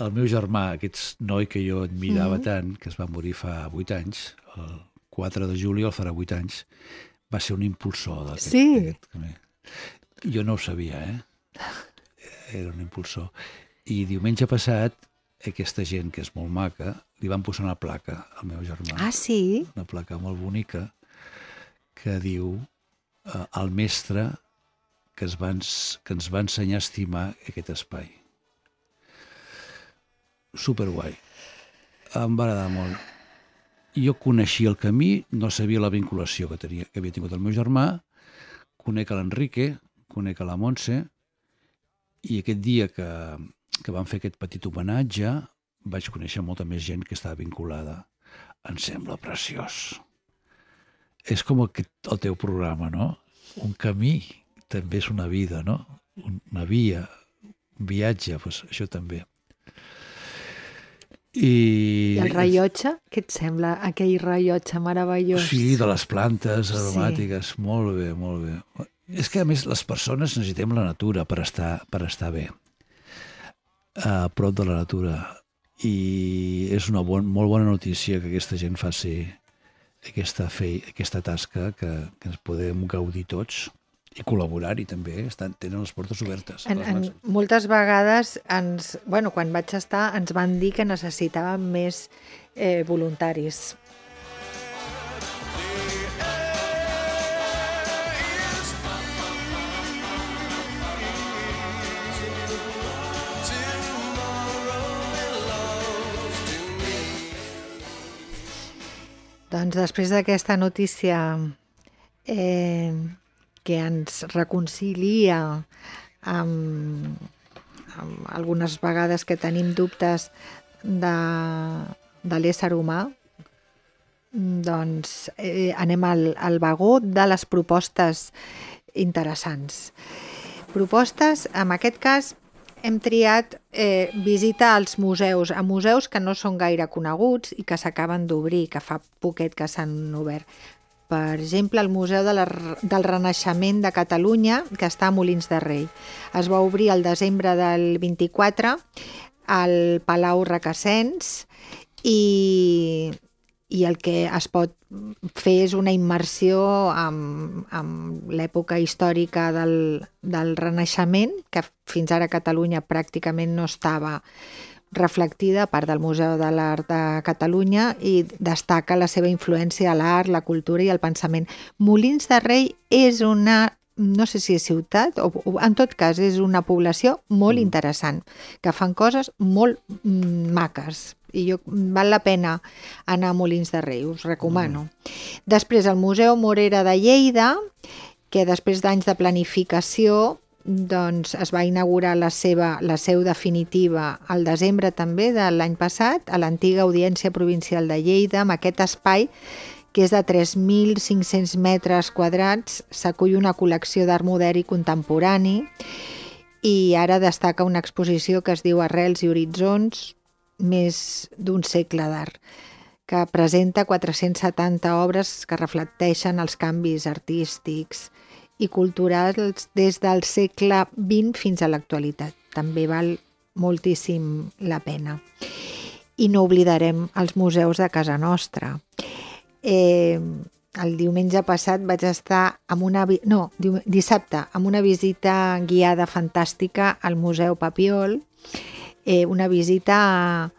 El meu germà, aquest noi que jo admirava Mhm. tant, que es va morir fa vuit anys, el quatre de juliol farà vuit anys, va ser un impulsor d'aquest, Sí. d'aquest camí. Jo no ho sabia, eh? Era un impulsor. I diumenge passat, aquesta gent, que és molt maca, li van posar una placa al meu germà. Ah, sí? Una placa molt bonica que diu eh, el mestre que, es va, ens- que ens va ensenyar a estimar aquest espai. Superguai. Em va agradar molt. Jo coneixia el camí, no sabia la vinculació que, tenia, que havia tingut el meu germà, conec a l'Enrique, conec a la Montse, i aquest dia que, que vam fer aquest petit homenatge vaig conèixer molta més gent que estava vinculada. Em sembla preciós. És com aquest, el teu programa, no? Un camí també és una vida, no? Una via, un viatge, doncs això també. I... I el rellotge? Què et sembla, aquell rellotge meravellós? Sí, de les plantes aromàtiques. Sí. Molt bé, molt bé. És que, a més, les persones necessitem la natura per estar, per estar bé. A prop de la natura. I és una bon, molt bona notícia que aquesta gent faci aquesta, fe, aquesta tasca que, que ens podem gaudir tots i col·laborar-hi també. Estan, tenen les portes obertes. En, en, moltes vegades, ens, bueno, quan vaig estar, ens van dir que necessitàvem més eh, voluntaris. Doncs després d'aquesta notícia eh, que ens reconcilia amb, amb algunes vegades que tenim dubtes de, de l'ésser humà, doncs eh, anem al, al vagó de les propostes interessants. Propostes, en aquest cas, hem triat eh, visitar els museus, a museus que no són gaire coneguts i que s'acaben d'obrir, que fa poquet que s'han obert. Per exemple, el Museu de la, del Renaixement de Catalunya, que està a Molins de Rei. Es va obrir el desembre del vint-i-quatre al Palau Requesens i, i el que es pot fer és una immersió amb, amb l'època històrica del, del Renaixement, que fins ara a Catalunya pràcticament no estava reflectida, a part del Museu de l'Art de Catalunya, i destaca la seva influència a l'art, la cultura i el pensament. Molins de Rei és una, no sé si és ciutat, o, o en tot cas és una població molt interessant, que fan coses molt mm, maques. I jo, val la pena anar a Molins de Rei, us recomano. Mm. Després, el Museu Morera de Lleida, que després d'anys de planificació doncs es va inaugurar la seva la seu definitiva al desembre també de l'any passat, a l'antiga Audiència Provincial de Lleida, amb aquest espai que és de tres mil cinc-cents metres quadrats, s'acull una col·lecció d'art modern i contemporani i ara destaca una exposició que es diu Arrels i horitzons, més d'un segle d'art, que presenta quatre-cents setanta obres que reflecteixen els canvis artístics i culturals des del segle vint fins a l'actualitat. També val moltíssim la pena. I no oblidarem els museus de casa nostra. Eh, el diumenge passat vaig estar amb una... No, dissabte, amb una visita guiada fantàstica al Museu Papiol, eh, una visita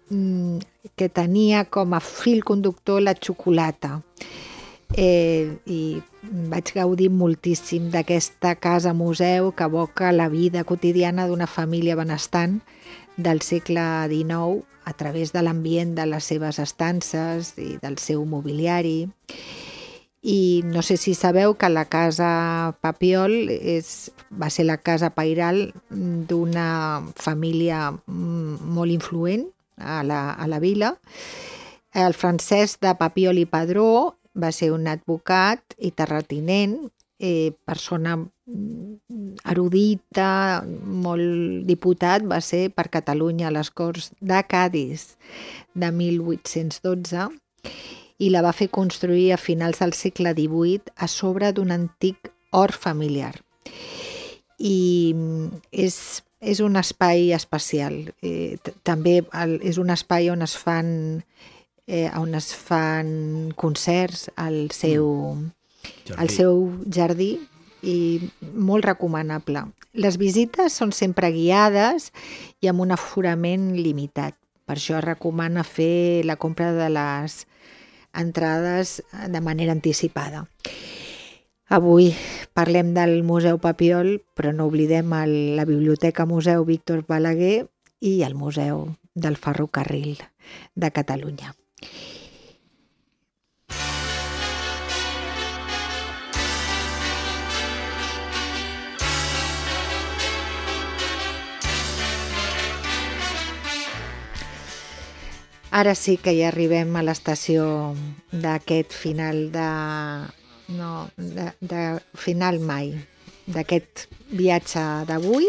mm, que tenia com a fil conductor la xocolata. Eh, i vaig gaudir moltíssim d'aquesta casa museu que evoca la vida quotidiana d'una família benestant del segle dinou a través de l'ambient de les seves estances i del seu mobiliari. I no sé si sabeu que la casa Papiol és, va ser la casa pairal d'una família molt influent a la, a la vila. El Francesc de Papiol i Padró va ser un advocat i terratinent, eh, persona erudita, molt diputat, va ser per Catalunya a les Corts de Cadis de mil vuit-cents dotze i la va fer construir a finals del segle divuit a sobre d'un antic hort familiar. I és, és un espai especial. Eh, també el, és un espai on es fan... Eh, on es fan concerts al seu, Jardí. al seu jardí, i molt recomanable. Les visites són sempre guiades i amb un aforament limitat. Per això es recomana fer la compra de les entrades de manera anticipada. Avui parlem del Museu Papiol, però no oblidem el, la Biblioteca Museu Víctor Balaguer i el Museu del Ferrocarril de Catalunya. Ara sí que ja arribem a l'estació d'aquest final de... no, de, de final mai, d'aquest viatge d'avui,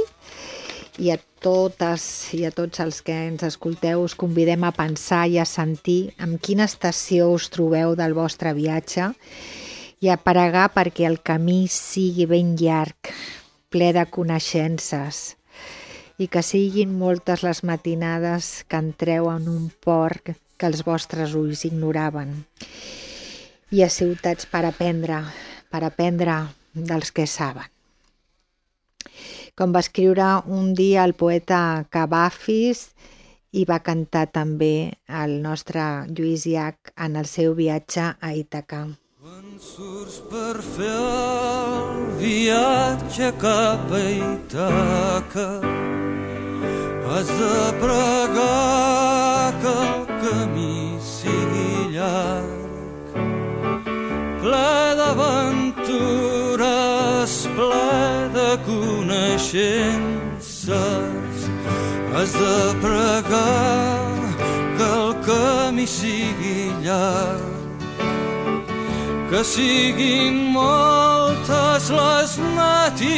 i a totes i a tots els que ens escolteu us convidem a pensar i a sentir en quina estació us trobeu del vostre viatge i a pregar perquè el camí sigui ben llarg, ple de coneixences, i que siguin moltes les matinades que entreu en un port que els vostres ulls ignoraven, i a ciutats per aprendre, per aprendre dels que saben. Com va escriure un dia el poeta Cavafis i va cantar també el nostre Lluís Llach en el seu viatge a Ítaca. Quan surts per fer el viatge cap a Ítaca, has de pregar que el camí sigui llarg, ple d'aventures, ple de coneixences. Has de pregar que el camí sigui llarg, que siguin moltes les matinades,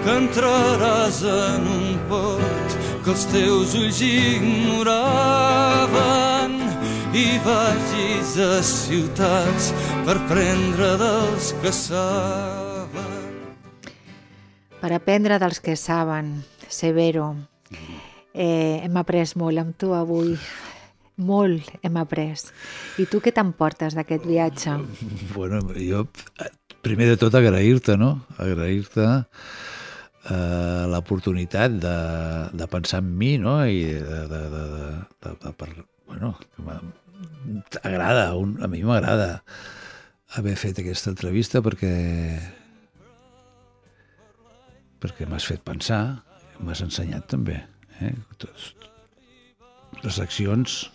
que entraràs en un port que els teus ulls ignoraven, i vagis a ciutats per prendre dels que saben. Per aprendre dels que saben, Severo. Eh, hem après molt amb tu avui. Molt hem après. I tu què t'emportes d'aquest viatge? Bueno, jo, primer de tot, agrair-te, no? Agrair-te eh, l'oportunitat de, de pensar en mi, no? I de... de, de, de, de, de per, bueno, t'agrada, a mi m'agrada haver fet aquesta entrevista perquè perquè m'has fet pensar, m'has ensenyat també. Eh? Les accions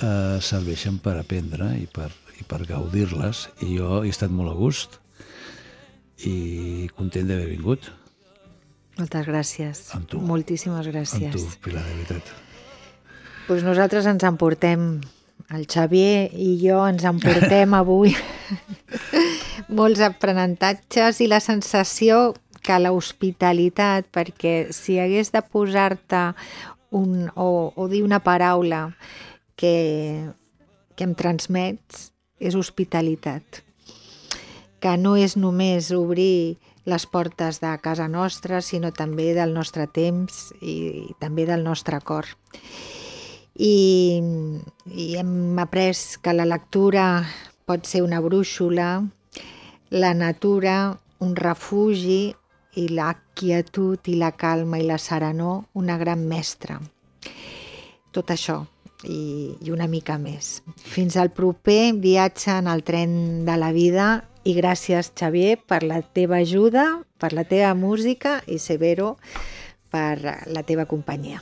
eh, serveixen per aprendre i per, i per gaudir-les, i jo he estat molt a gust i content d'haver vingut. Moltes gràcies. Amb tu. Moltíssimes gràcies. Amb tu, Pilar, de veritat. Pues nosaltres ens emportem, el Xavier i jo ens emportem avui molts aprenentatges i la sensació que l'hospitalitat, perquè si hagués de posar-te un, o, o dir una paraula que, que em transmets, és hospitalitat. Que no és només obrir les portes de casa nostra, sinó també del nostre temps i, i també del nostre cor. I, i hem après que la lectura pot ser una brúixola, la natura un refugi i la quietud i la calma i la serenor una gran mestra. Tot això i, i una mica més. Fins al proper viatge en el tren de la vida, i gràcies, Xavier, per la teva ajuda, per la teva música, i Severo per la teva companyia.